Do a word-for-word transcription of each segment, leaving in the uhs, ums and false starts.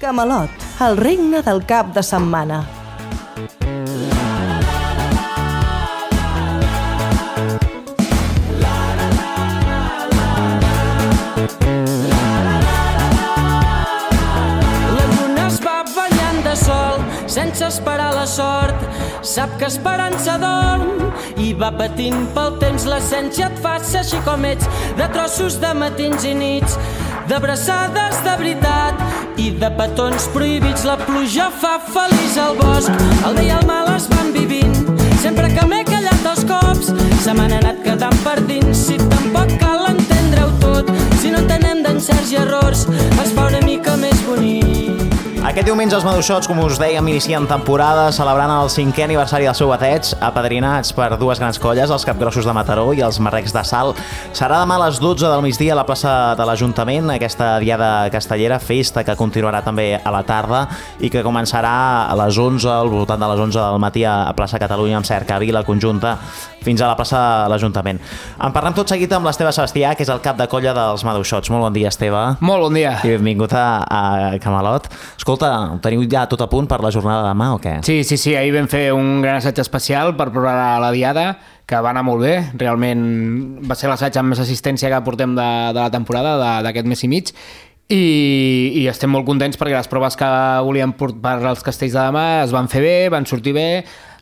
Camelot, el regne del cap de setmana. La lluna es va ballant de sol, sense esperar la sort. Sap que esperança dorm i va patint pel temps. L'essència et fa ser així com ets, de trossos de matins i nits, d'abraçades de veritat i de petons prohibits. La pluja fa feliç al bosc, el bé i el mal es van vivint. Sempre que m'he callat els cops, se m'han anat quedant per dins. Si tampoc cal entendre-ho tot, si no entenem d'encerts i errors, es fa una mica més bonic. Aquest diumenge els Maduixots, com us dèiem, inicien temporada celebrant el cinquè aniversari del seu bateig, apadrinats per dues grans colles, els Capgrossos de Mataró i els Marrecs de Salt. Serà demà a les dotze del migdia a la plaça de l'Ajuntament, aquesta diada castellera, festa que continuarà també a la tarda i que començarà a les onze, al voltant de les onze del matí a plaça Catalunya, amb cercavila conjunta, fins a la plaça de l'Ajuntament. En parlem tot seguit amb l'Esteve Sebastià, que és el cap de colla dels Maduixots. Molt bon dia, Esteve. Molt bon dia. I benvingut a, a Camelot. Escolta, ho teniu ja tot a punt per la jornada de demà o què? Sí, sí, sí, ahir vam fer un gran assaig especial per preparar la diada, que va anar molt bé. Realment va ser l'assaig amb més assistència que portem de, de la temporada, d'aquest mes i mig, i, i estem molt contents perquè les proves que volíem portar per als castells de demà es van fer bé, van sortir bé.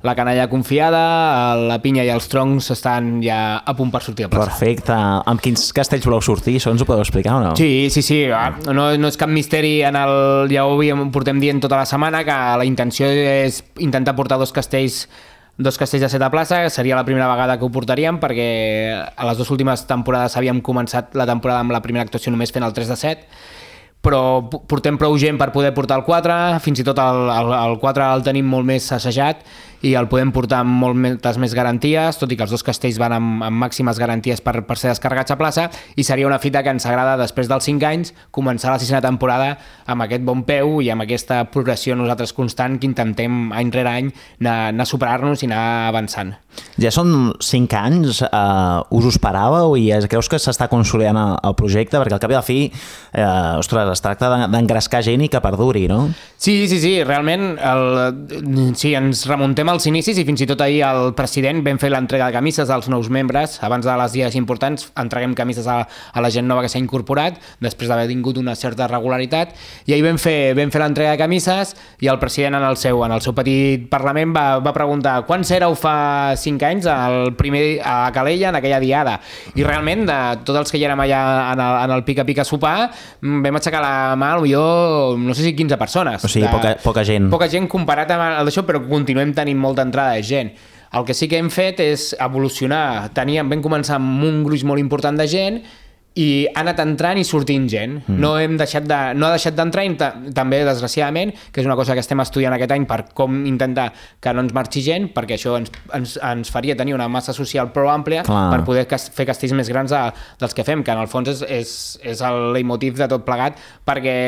La canalla confiada, la pinya i els troncs estan ja a punt per sortir a plaça. Perfecte. Amb quins castells voleu sortir? Això ens ho podeu explicar o no? Sí, sí, sí. No, no és cap misteri. En el, ja ho portem dient tota la setmana, que la intenció és intentar portar dos castells dos castells de set a plaça. Seria la primera vegada que ho portaríem, perquè a les dues últimes temporades havíem començat la temporada amb la primera actuació només fent el tres de set, però portem prou gent per poder portar el quatre, fins i tot el, el, el quatre el tenim molt més assajat i el podem portar amb moltes més garanties, tot i que els dos castells van amb, amb màximes garanties per, per ser descarregats a plaça, i seria una fita que ens agrada, després dels cinc anys, començar la sisena temporada amb aquest bon peu i amb aquesta progressió nosaltres constant que intentem any rere any anar, anar a superar-nos i anar avançant. Ja són cinc anys, uh, us ho esperàveu i creus que s'està consolidant el, el projecte? Perquè al cap i a la fi, eh, ostres, es tracta d'engrescar gent i que perduri, no? Sí, sí, sí, realment el, sí, ens remuntem als inicis i fins i tot ahir el president vam fer l'entrega de camises als nous membres. Abans de les dies importants entreguem camises a, a la gent nova que s'ha incorporat després d'haver tingut una certa regularitat, i ahir vam fer, vam fer l'entrega de camises i el president en el seu, en el seu petit parlament va, va preguntar quants éreu fa cinc anys al primer, a Calella en aquella diada, i realment de tots els que hi érem allà en el, en el pica-pica sopar vam aixecar la mà potser no sé si quinze persones. O sigui, de, poca, poca gent. Poca gent comparat amb el d'això, però continuem tenint molta entrada de gent. El que sí que hem fet és evolucionar. Teníem, vam començar amb un gruix molt important de gent i ha anat entrant i sortint gent. Mm. No hem deixat de, no ha deixat d'entrar, i també, desgraciadament, que és una cosa que estem estudiant aquest any per com intentar que no ens marxi gent, perquè això ens, ens, ens faria tenir una massa social prou àmplia. Clar. Per poder fer castells més grans de, dels que fem, que en el fons és, és, és el leitmotiv de tot plegat, perquè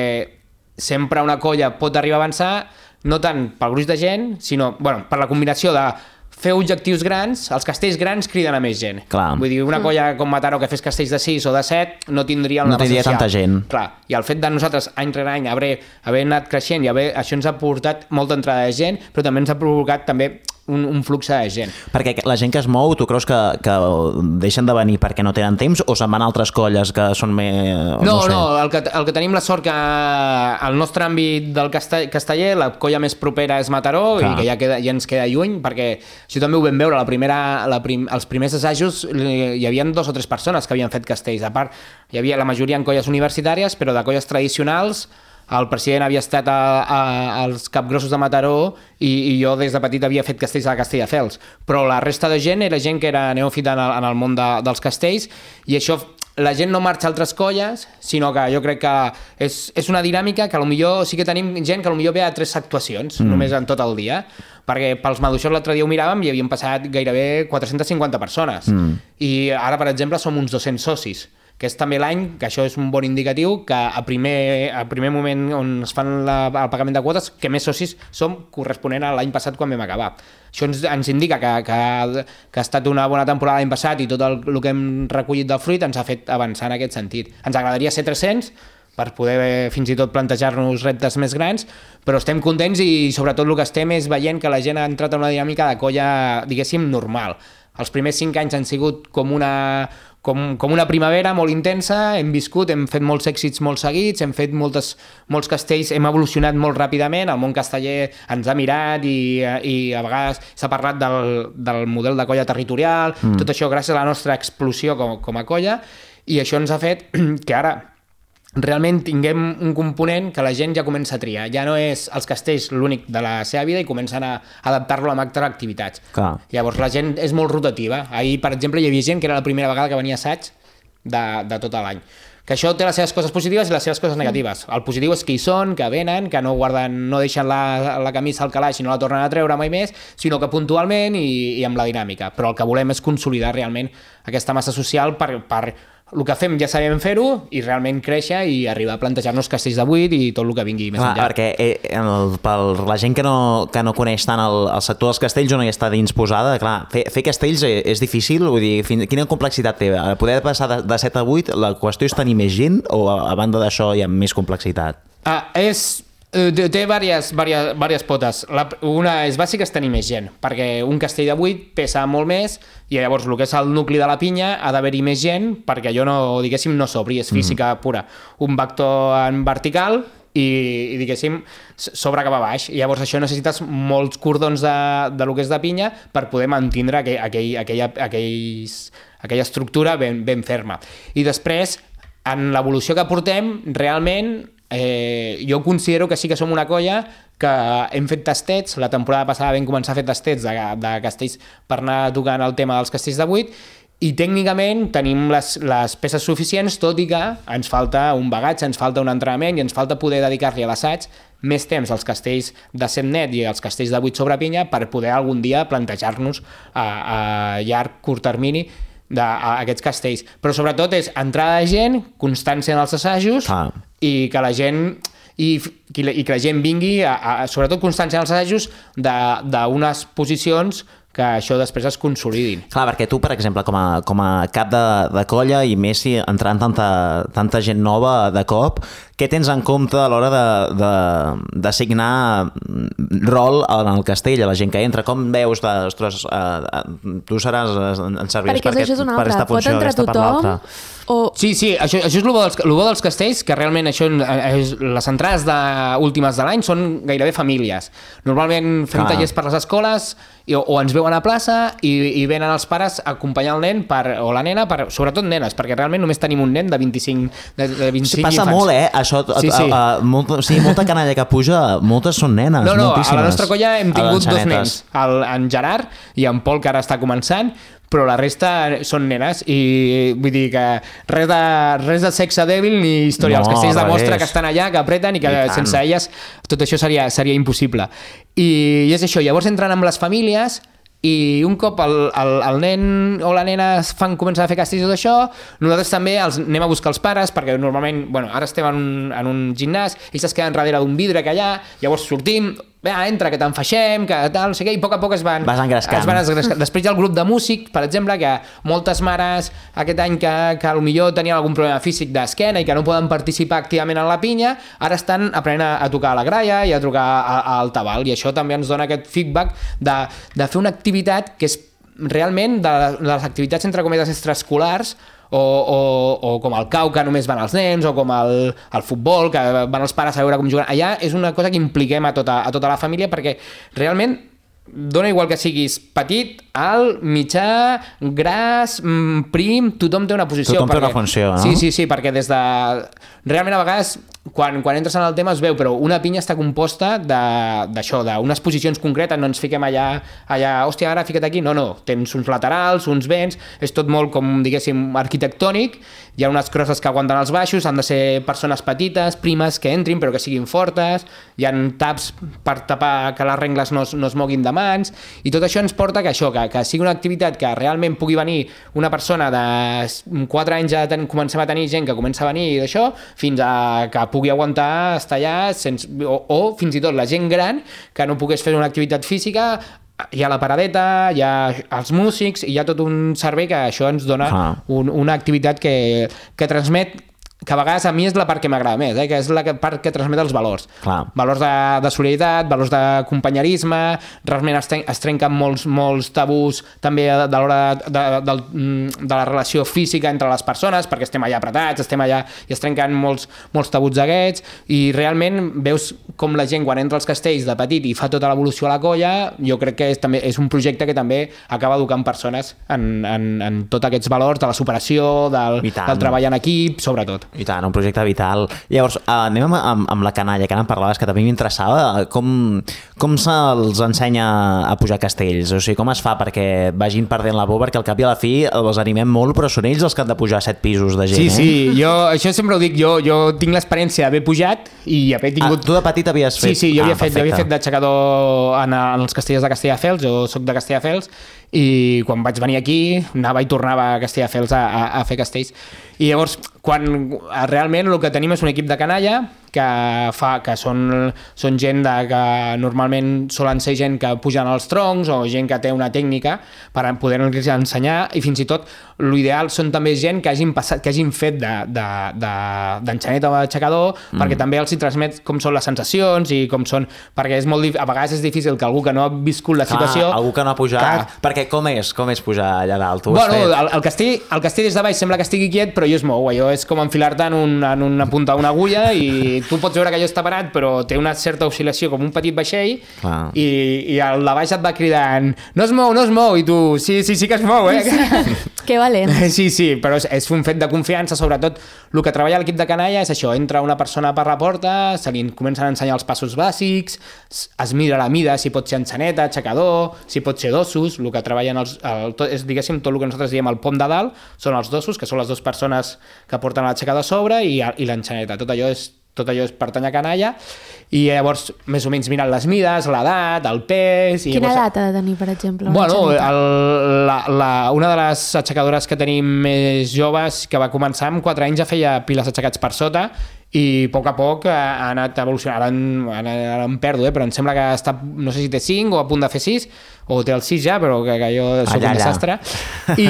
sempre una colla pot arribar a avançar no tant pel gruix de gent, sinó bueno, per la combinació de fer objectius grans. Els castells grans criden a més gent. Clar. Vull dir, una colla com Mataró que fes castells de sis o de set no tindria una no tindria tanta gent. Clar. I el fet de nosaltres any rere any haver, haver anat creixent i haver, això ens ha portat molta entrada de gent, però també ens ha provocat també un, un flux de gent. Perquè la gent que es mou, tu creus que, que deixen de venir perquè no tenen temps o se'n van a altres colles que són més... No, no, sé. no el, que, el que tenim la sort que al nostre àmbit del castell, casteller la colla més propera és Mataró. Clar. I que ja, queda, ja ens queda lluny, perquè això també ho vam veure, la primera, la prim, els primers assajos hi havia dos o tres persones que havien fet castells. A part, hi havia la majoria en colles universitàries, però de colles tradicionals. El president havia estat a, a, als Capgrossos de Mataró i, i jo des de petit havia fet castells a Castelldefels, però la resta de gent era gent que era neòfita en el, en el món de, dels castells, i això, la gent no marxa a altres colles, sinó que jo crec que és, és una dinàmica que potser sí que tenim gent que potser ve a tres actuacions, mm. només en tot el dia, perquè pels Maduixots l'altre dia ho miràvem i havien passat gairebé quatre-centes cinquanta persones, mm. i ara, per exemple, som uns dos-cents socis, que és també l'any, que això és un bon indicatiu, que a primer, a primer moment on es fan la, el pagament de quotes, que més socis som corresponent a l'any passat quan vam acabar. Això ens, ens indica que, que, que ha estat una bona temporada l'any passat i tot el, el que hem recollit del fruit ens ha fet avançar en aquest sentit. Ens agradaria ser tres-cents, per poder fins i tot plantejar-nos reptes més grans, però estem contents i sobretot el que estem és veient que la gent ha entrat en una dinàmica de colla, diguéssim, normal. Els primers cinc anys han sigut com una, com, com una primavera molt intensa, hem viscut, hem fet molts èxits molt seguits, hem fet moltes, molts castells, hem evolucionat molt ràpidament, el món casteller ens ha mirat i, i a vegades s'ha parlat del, del model de colla territorial, mm. tot això gràcies a la nostra explosió com, com a colla, i això ens ha fet que ara realment tinguem un component que la gent ja comença a triar. Ja no és els castells l'únic de la seva vida i comencen a adaptar-lo a altres activitats. Clar. Llavors la gent és molt rotativa. Ahir, per exemple, hi havia gent que era la primera vegada que venia a assaig de, de tot l'any. Que això té les seves coses positives i les seves coses negatives. El positiu és que hi són, que venen, que no guarden, no deixen la, la camisa al calaix i no la tornen a treure mai més, sinó que puntualment i, i amb la dinàmica. Però el que volem és consolidar realment aquesta massa social per, per el que fem ja sabem fer-ho i realment créixer i arribar a plantejar-nos castells de vuit i tot el que vingui més Clar, enllà. Perquè eh, el, per la gent que no, que no coneix tant el, el sector dels castells o no hi està dins posada, clar, fer, fer castells és difícil, vull dir, fin, quina complexitat té? Poder passar de, de set a vuit, la qüestió és tenir més gent o a, a banda d'això hi ha més complexitat? Ah, és... Té diverses, diverses, diverses potes. La, una és bàsica, és tenir més gent, perquè un castell de vuit pesa molt més i llavors el que és el nucli de la pinya ha d'haver-hi més gent perquè allò no, diguéssim, no s'obri, és física mm. pura. Un vector en vertical i, i diguéssim, s'obre cap a baix. I llavors això necessites molts cordons de, de lo que és de pinya per poder mantindre aquell, aquell, aquella, aquells, aquella estructura ben, ben ferma. I després, en l'evolució que portem, realment... Eh, jo considero que sí que som una colla que hem fet tastets, la temporada passada vam començar a fer tastets de, de castells per anar tocant el tema dels castells de vuit i tècnicament tenim les, les peces suficients, tot i que ens falta un bagatge, ens falta un entrenament i ens falta poder dedicar-li a l'assaig més temps als castells de set net i als castells de vuit sobre pinya per poder algun dia plantejar-nos a, a llarg, curt termini d'aquests castells. Però sobretot és entrada de gent, constància en els assajos ah. i que la gent i, i que la gent vingui a, a, sobretot constància en els assajos d'unes posicions que això després es consolidin. Clar, perquè tu, per exemple, com a, com a cap de, de colla i més si entrant tanta, tanta gent nova de cop, què tens en compte a l'hora d'assignar rol en el castell, a la gent que entra? Com veus de, ostres, uh, tu seràs, en serviràs per, aquest, per aquesta funció, aquesta per l'altra? O... Sí, sí, això, això és el bo, dels, el bo dels castells, que realment això, és, les entrades de, últimes de l'any són gairebé famílies. Normalment fem ah. tallers per les escoles i, o ens veuen a plaça i, i venen els pares a acompanyar el nen per, o la nena, per, sobretot nenes, perquè realment només tenim un nen de vint-i-cinc, de, de vint-i-cinc passa infants. Molt, eh? Això, sí, sí. A, a, molt, sí, molta canalla que puja, moltes són nenes, no, no, moltíssimes. A la nostra colla hem tingut dos nens, el, en Gerard i en Pol, que ara està començant, però la resta són nenes i vull dir que res de, res de sexe dèbil ni història. No, els castells demostra que estan allà, que apreten i que I sense tant. elles tot això seria, seria impossible. I, I és això, llavors entren amb les famílies i un cop el, el, el nen o la nena fan començar a fer castells i tot això, nosaltres també els anem a buscar els pares, perquè normalment, bueno, ara estem en un, en un gimnàs, ells es queden darrere d'un vidre que allà, llavors sortim, va, entra, que t'enfaixem, que tal, no sé què, i a poc a poc es van... Vas engrescant. Es van engrescant. Després hi ha el grup de músics, per exemple, que moltes mares aquest any que, que potser tenien algun problema físic d'esquena i que no poden participar activament en la pinya, ara estan aprenent a, a tocar a la graia i a trucar al tabal, i això també ens dona aquest feedback de, de fer una activitat que és realment de, de les activitats entre cometes extraescolars o, o, o com el cau, que només van els nens, o com el, el futbol, que van els pares a veure com juguen. Allà és una cosa que impliquem a tota, a tota la família, perquè realment dona igual que siguis petit, alt, mitjà, gras, prim, tothom té una posició. Tothom perquè... té una funció, no? Sí, sí, sí, perquè des de... Realment a vegades, quan, quan entres en el tema es veu, però una pinya està composta d'això, d'unes posicions concretes, no ens fiquem allà, allà, hòstia, ara fica't aquí, no, no, tens uns laterals, uns vents, és tot molt com, diguéssim, arquitectònic, hi ha unes crosses que aguanten els baixos, han de ser persones petites, primes, que entrin, però que siguin fortes, hi ha taps per tapar que les rengles no, no es moguin de mans, i tot això ens porta que això, que, que sigui una activitat que realment pugui venir una persona de quatre anys ja ten, comencem a tenir gent que comença a venir d'això, fins a que pugui aguantar estar allà sense, o, o fins i tot la gent gran que no pogués fer una activitat física, hi ha la paradeta, hi ha els músics, hi ha tot un servei que això ens dona ah. un, una activitat que, que transmet que a vegades a mi és la part que m'agrada més, eh? que és la part que transmet els valors. Clar. Valors de, de solidaritat, valors de companyerisme, realment es, tren, es trenquen molts, molts tabús també de l'hora de, de, de, de la relació física entre les persones, perquè estem allà apretats, estem allà i es trenquen molts, molts tabuts d'aquests, i realment veus com la gent quan entra als castells de petit i fa tota l'evolució a la colla, jo crec que és, també, és un projecte que també acaba educant persones en, en, en tots aquests valors de la superació, del, del treball en equip, sobretot. I tant, un projecte vital. Llavors, anem amb, amb, amb la canalla, que ara em parlaves, que també m'interessava. Com, com se'ls ensenya a pujar castells? O sigui, com es fa perquè vagin perdent la por? Perquè al cap i a la fi els animem molt, però són ells els que han de pujar set pisos de gent, sí, eh? Sí, jo això sempre ho dic. Jo, jo tinc l'experiència d'haver pujat i haver tingut... Ah, tu de petit havies fet... Sí, sí, jo ah, havia, fet, jo havia fet d'aixecador en, en els castellers de Castelldefels, jo soc de Castelldefels, i quan vaig venir aquí anava i tornava a Castelldefels a, a, a fer castells. I llavors, quan realment el que tenim és un equip de canalla que, fa, que són, són gent de, que normalment solen ser gent que pugen als troncs o gent que té una tècnica per poder-los ensenyar, i fins i tot l'ideal són també gent que hagin, passat, que hagin fet d'enxaneta o d'aixecador, mm. perquè també els hi transmet com són les sensacions i com són, perquè és molt, a vegades és difícil que algú que no ha viscut la situació... Clar, algú que no ha pujat, que... perquè com és, com és pujar allà dalt? Tu bueno, el, el, castell, el castell des de baix sembla que estigui quiet, però jo es mou, allò és com enfilar-te en, un, en una punta d'una agulla i tu pots veure que allò està parat, però té una certa oscil·lació com un petit vaixell. Clar. i, i el de baix et va cridant no es mou, no es mou, i tu sí, sí, sí que es mou, eh? Que valent. Sí, sí, però és, és un fet de confiança, sobretot el que treballa l'equip de canalla és això, entra una persona per la porta, se li comencen a ensenyar els passos bàsics, es mira la mida, si pot ser enxaneta, aixecador, si pot ser dossos, el que treballen els, el, tot, és, diguéssim, tot el que nosaltres diem el pom de dalt, són els dossos, que són les dues persones que porten l'aixecador a sobre i, i l'enxaneta, tot allò és tot allò és pertany a canalla, i llavors més o menys miren les mides, l'edat, el pes... I Quina llavors... edat ha de tenir, per exemple? Bueno, el, la, la, una de les aixecadores que tenim més joves, que va començar amb quatre anys, ja feia piles aixecats per sota, i a poc a poc ha anat evolucionant. Ara, ara, ara em perdo, eh? Però em sembla que està, no sé si té cinc o a punt de fer sis, o té el sis ja, però que, que jo soc allà, un desastre. I,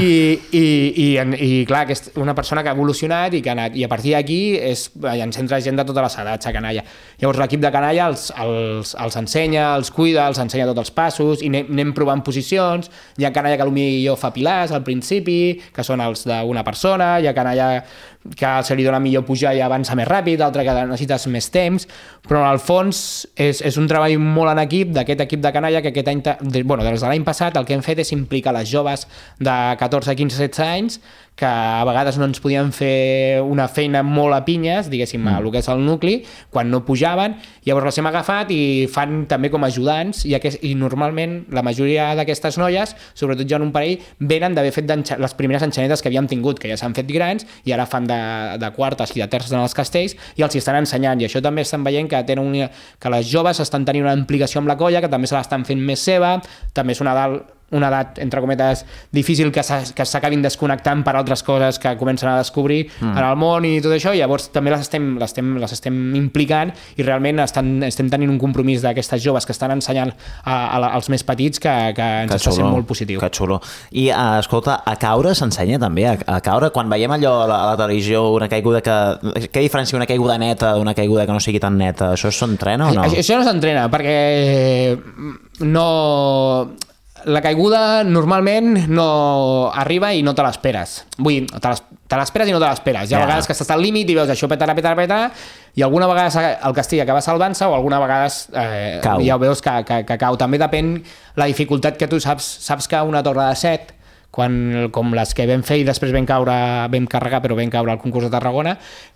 i, i, i clar, que és una persona que ha evolucionat i que ha anat, i a partir d'aquí és, ens entra gent de totes les edats a canalla. Llavors l'equip de canalla els, els, els ensenya, els cuida, els ensenya tots els passos, i anem, anem provant posicions. Hi ha canalla que potser fa pilars al principi, que són els d'una persona, hi ha canalla que se li dona millor pujar i avança més ràpid, altre que necessites més temps, però al fons és, és un treball molt en equip d'aquest equip de canalla que aquest any, de, bueno, des de l'any passat el que hem fet és implicar les joves de catorze, quinze, setze anys que a vegades no ens podien fer una feina molt a pinyes, diguéssim, mm. a el que és el nucli, quan no pujaven, llavors les hem agafat i fan també com ajudants, i, aquest, i normalment la majoria d'aquestes noies, sobretot jo en un parell, venen d'haver fet les primeres enxanetes que havíem tingut, que ja s'han fet grans, i ara fan de, de quartes i de terces en els castells, i els hi estan ensenyant, i això també estan veient que, tenen una, que les joves estan tenint una implicació amb la colla, que també se l'estan fent més seva, també és una dalt una edat, entre cometes, difícil que s'acabin desconnectant per altres coses que comencen a descobrir mm. en el món i tot això, i llavors també les estem, les estem, les estem implicant, i realment estan, estem tenint un compromís d'aquestes joves que estan ensenyant a, a, als més petits que, que ens que està sent molt positiu. Que xulo. I uh, escolta, a caure s'ensenya també, a, a caure, quan veiem allò a la, a la televisió, una caiguda que... Què diferencia una caiguda neta d'una caiguda que no sigui tan neta? Això s'entrena o no? Això no s'entrena, perquè no... La caiguda normalment no arriba i no te l'esperes. Vull dir, te l'esperes i no te l'esperes. Hi ha yeah. vegades que estàs al límit i veus això petarà, petarà, petarà, i alguna vegada el castell acaba salvant-se o alguna vegada eh, ja ho veus que, que, que cau. També depèn la dificultat que tu saps. Saps que una torre de set, quan, com les que vam fer i després vam caure, vam carregar però vam caure al concurs de Tarragona,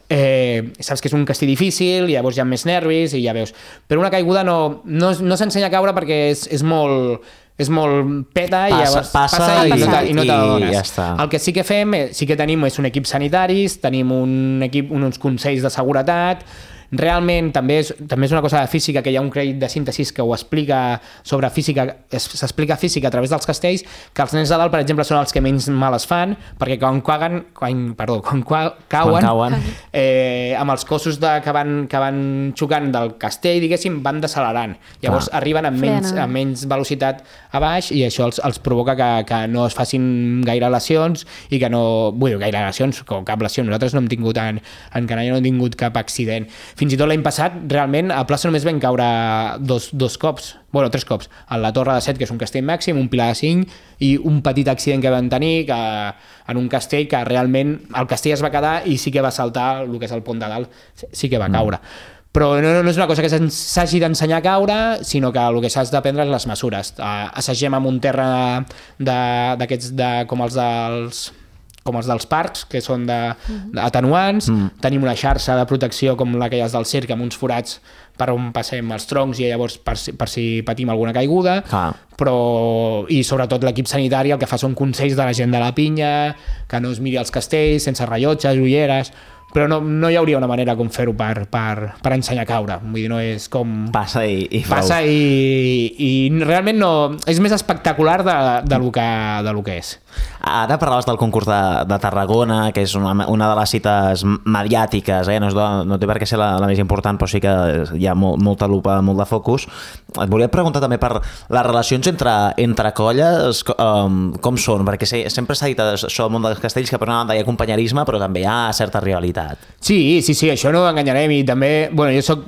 eh, saps que és un castell difícil, i llavors hi ha més nervis i ja veus. Però una caiguda no, no, no s'ensenya a caure perquè és, és molt... és molt peta, passa, i llavors passa, passa i, i, no, i no te l'adones. Ja està. El que sí que fem, sí que tenim és un equip sanitaris, tenim un equip, uns consells de seguretat, realment també és, també és una cosa de física, que hi ha un crèdit de síntesi que ho explica sobre física, s'explica física a través dels castells, que els nens de dalt, per exemple, són els que menys mal es fan, perquè quan cauen, quan, perdó, quan cauen, quan cauen. Eh, amb els cossos de, que, van, que van xocant del castell, diguéssim, van decelerant. Llavors ah. arriben amb menys, amb menys velocitat a baix i això els, els provoca que, que no es facin gaire lesions i que no... Vull dir, gaire lesions, com cap lesió. Nosaltres no hem tingut en, en Canalla no hem tingut cap accident. Fins i tot l'any passat, realment, a plaça només vam caure dos, dos cops, bueno, tres cops, a la Torre de Set, que és un castell màxim, un pilar de cinc, i un petit accident que vam tenir que, en un castell que realment el castell es va quedar i sí que va saltar el que és el pont de dalt, sí que va caure. Mm. Però no, no és una cosa que s'hagi d'ensenyar a caure, sinó que el que s'has d'aprendre és les mesures. Assagem amb un terra d'aquests, de, com els dels... com els dels parcs, que són de, de atenuants, mm. tenim una xarxa de protecció com la que hi ha del circ, amb uns forats per on passem els troncs i llavors per si, per si patim alguna caiguda, ah. però i sobretot l'equip sanitari el que fa són consells de la gent de la pinya, que no es miri els castells, sense rellotges, ulleres, però no, no hi hauria una manera com fer-ho per, per, per ensenyar a caure. Vull dir, no és com... Passa i, i prou. Passa i, i realment no... És més espectacular de, de, lo que, de lo que és. Ara parlaves del concurs de, de Tarragona, que és una, una de les cites mediàtiques, eh? no, és de, no té per què ser la, la més important, però sí que hi ha molt, molta lupa, molt de focus. Et volia preguntar també per les relacions entre, entre colles, com, com són, perquè sempre s'ha dit això al món dels castells, que per una banda hi ha companyerisme, però també hi ha certa rivalitat. Sí, sí, sí, això no ho enganyarem i també, bueno, jo soc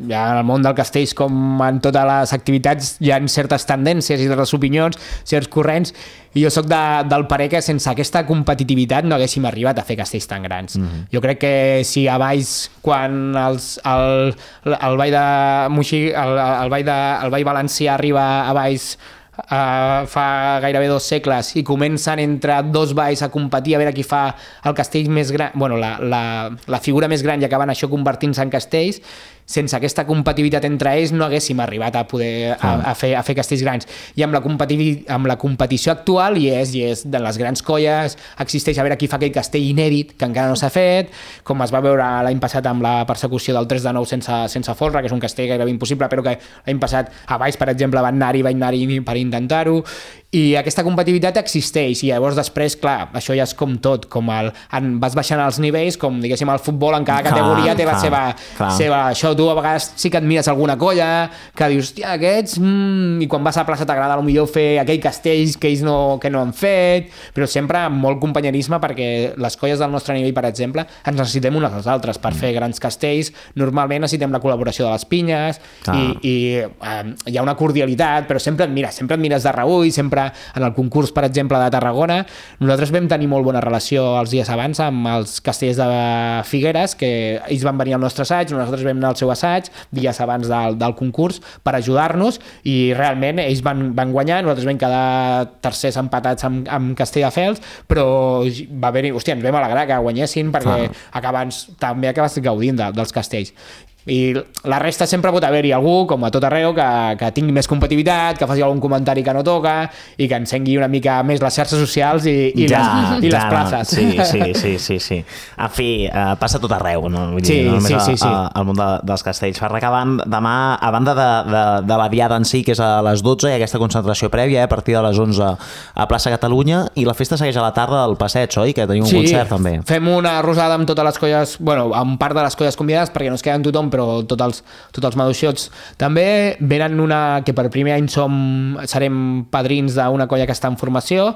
ja en el món del castells com en totes les activitats hi ha certes tendències i certes opinions, certs corrents, i jo soc de, del parer que sense aquesta competitivitat no haguéssim arribat a fer castells tan grans. Mm-hmm. Jo crec que si a Valls, quan els, el, el Vall de Moixí, el, el, Vall de, el Vall Valencià arriba a Valls Uh, fa gairebé dos segles i comencen entre dos valls a competir a veure qui fa el castell més gran, bueno, la, la, la figura més gran, i acaben això convertint-se en castells. Sense aquesta competitivitat entre ells no haguéssim arribat a poder a, a, fer, a fer castells grans. I amb la, amb la competició actual hi és, hi és de les grans colles, existeix a veure qui fa aquell castell inèdit que encara no s'ha fet, com es va veure l'any passat amb la persecució del tres de nou sense, sense folre, que és un castell gairebé impossible, però que l'any passat a Valls, per exemple, van anar-hi, van anar-hi per intentar-ho, i aquesta competitivitat existeix, i llavors després, clar, això ja és com tot, com el, en, vas baixant els nivells, com diguéssim el futbol, en cada categoria clar, té la seva, seva... Això tu a vegades sí que et mires alguna colla, que dius, hòstia, aquests... Mm, i quan vas a la plaça t'agrada potser fer aquell castells que ells no, que no han fet, però sempre amb molt companyerisme, perquè les colles del nostre nivell, per exemple, ens necessitem unes als altres per mm. fer grans castells. Normalment necessitem la col·laboració de les pinyes, ah. i, i eh, hi ha una cordialitat, però sempre et mires, sempre et mires de reüll, sempre en el concurs, per exemple, de Tarragona. Nosaltres vam tenir molt bona relació els dies abans amb els castellers de Figueres, que ells van venir al nostre assaig, nosaltres vam anar al seu assaig dies abans del, del concurs per ajudar-nos, i realment ells van, van guanyar, nosaltres vam quedar tercers empatats amb, amb Castelldefels, però va haver-hi, hòstia, ens vam alegrar que guanyessin, perquè ah. acabes, també acabes gaudint de, dels castells. I la resta sempre pot haver-hi algú, com a tot arreu, que, que tingui més competitivitat, que faci algun comentari que no toca i que encengui una mica més les xarxes socials i, i, ja, les, i ja, les places. Sí, sí, sí, sí, sí. En fi, uh, passa tot arreu, no? Vull dir, sí, no només sí, sí, sí. al món de, dels castells. Per acabar, demà, a banda de, de, de la diada en si, que és a les dotze, hi ha aquesta concentració prèvia, eh, a partir de les onze a plaça Catalunya, i la festa segueix a la tarda al passeig, oi? Que tenim un sí, concert, també. Fem una rosada amb totes les colles, bueno, amb part de les colles convidades, perquè no es queden tothom, però tots els, tots els maduixots també venen, una que per primer any som, serem padrins d'una colla que està en formació,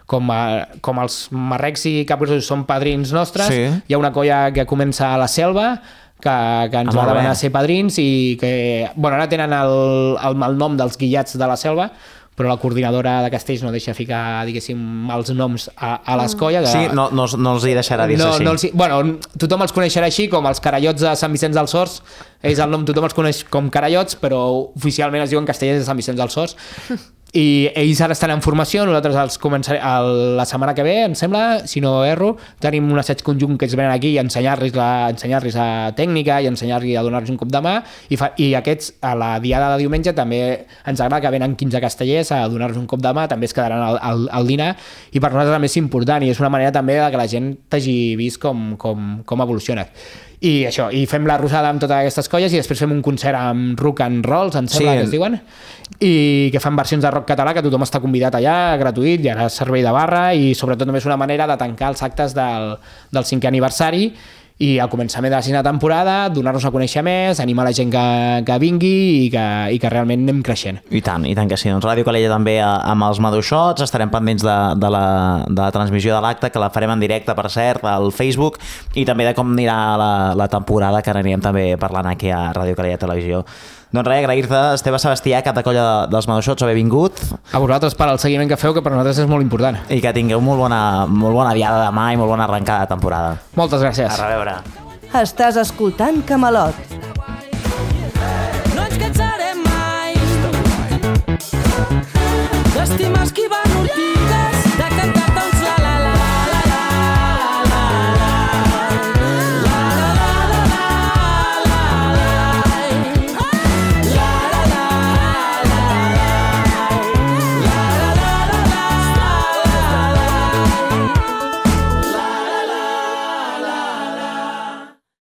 com, a, com els marrecs i capgrossos són padrins nostres. Sí. Hi ha una colla que comença a la Selva, que, que ens ah, va demanar ser padrins, i que, bueno, ara tenen el, el malnom dels Guillats de la Selva, però la coordinadora de Castells no deixa ficar, diguéssim, els noms a, a les colles. Sí, no, no, no els hi deixarà dir-se no, així. No els, bueno, tothom els coneixerà així, com els carallots de Sant Vicenç dels Horts. Ells el nom tothom els coneix com carallots, però oficialment es diuen castellers de Sant Vicenç dels Horts. I ells ara estan en formació, nosaltres els començarem el, la setmana que ve, em sembla, si no erro, tenim un assaig conjunt que ells venen aquí a ensenyar-los la, ensenyar-los a tècnica i ensenyar-los a donar-los un cop de mà, i, fa, i aquests a la diada de diumenge també ens agrada que venen quinze castellers a donar-nos un cop de mà, també es quedaran al, al, al dinar, i per nosaltres també és important, i és una manera també de que la gent t'hagi vist com, com, com evoluciona. i això, i fem la rosada amb totes aquestes colles i després fem un concert amb rock and rolls, em sembla Sí. que es diuen, i que fan versions de rock català, que tothom està convidat allà, gratuït, hi ha servei de barra, i sobretot també és una manera de tancar els actes del, del cinquè aniversari i al començament de la sisena temporada donar-nos a conèixer més, animar la gent que, que vingui i que, i que realment anem creixent. I tant, i tant que sí. Doncs Ràdio Calella també a- amb els Maduixots, estarem pendents de, de, la, de la transmissió de l'acte, que la farem en directe, per cert, al Facebook, i també de com anirà la, la temporada, que anirem també parlant aquí a Ràdio Calella Televisió. Doncs res, agrair-te, Esteve Sebastià, cap de colla de, dels Maduixots, haver vingut, A vosaltres per al seguiment que feu, que per nosaltres és molt important. i que tingueu molt bona, molt bona diada demà i molt bona arrencada de temporada. Moltes gràcies. A reveure. Estàs escoltant Camelot.